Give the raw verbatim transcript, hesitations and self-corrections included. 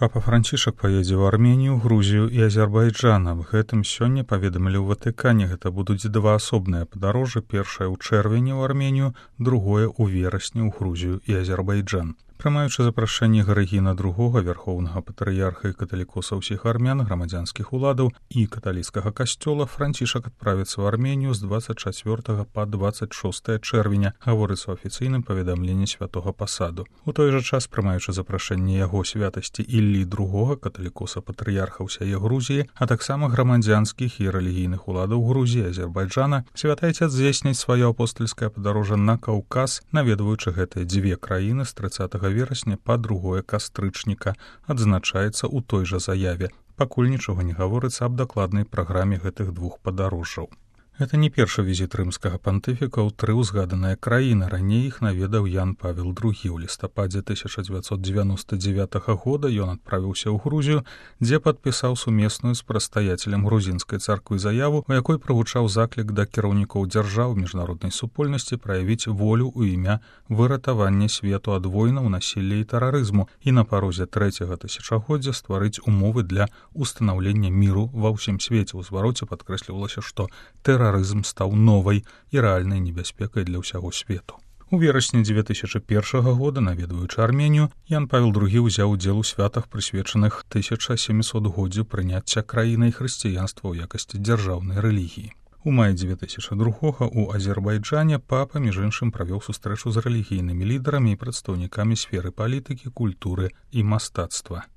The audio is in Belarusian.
Папа Францішак паедзе ў Арменію, Грузію і Азербайджан. Аб гэтым сёння паведамілі ў Ватыкане. Гэта будуць два асобныя падарожжы, першае ў чэрвені ў Арменію, другое ў верасні ў Грузію і Азербайджан. Прымаючы запрашэнне Гарыгіна другога, вярхоўнага патрыярха і каталікоса ўсіх армян, грамадзянскіх уладаў і каталіцкага касцёла, Францішак адправіцца ў Арменію з дваццаць чацвёртага па дваццаць шостае чэрвеня, гаворыцца ў афіцыйным паведамленні святога пасаду. У той жа час, прымаючы запрашэнне яго святасці Іллі другога, каталікоса патрыярха ўсяе Грузіі, а таксама грамадзянскіх і рэлігійных уладаў Грузіі, Азербайджана, святы Айцец здзейсніць сваё апостальскае падарожжа на Каўказ, наведваючы гэтыя дзве краіны з трыццатага верасня па другое кастрычніка, адзначаецца ў той жа заяве. Пакуль нічога не гаворыцца аб дакладнай праграме гэтых двух падарожжаў. Гэта не першы візіт рымскага пантыфіка ў тры ўзгаданыя краіны. Раней іх наведаў Ян Павел другі. У лістападзе тысяча дзевяцьсот дзевяноста дзевятага года ён адправіўся ў Грузію, дзе падпісаў сумесную з прадстаяцелем грузінскай царквы заяву, у якой прагучаў заклік да кіраўнікоў дзяржаў міжнароднай супольнасці праявіць волю ў імя выратавання свету ад войнаў, насілля і тэрарызму і на парозе трэцяга тысячагоддзя стварыць умовы для устанаўлення міру ва ўсім свеце. У звароце падкрэслівалася, што тэрарызм Тэрарызм стаў новай і рэальнай небяспекай для ўсяго свету. У верасні дзве тысячы першага года, наведваючы Арменію, Ян Павел другі ўзяў удзел у святах, прысвечаных тысяча сямісотгоддзю прыняцця краінай хрысціянства ў якасці дзяржаўнай рэлігіі. У маі дзве тысячы другога у Азербайджане папа, між іншым, правёў сустрэчу з рэлігійнымі лідарамі і прадстаўнікамі сферы палітыкі, культуры і мастацтва.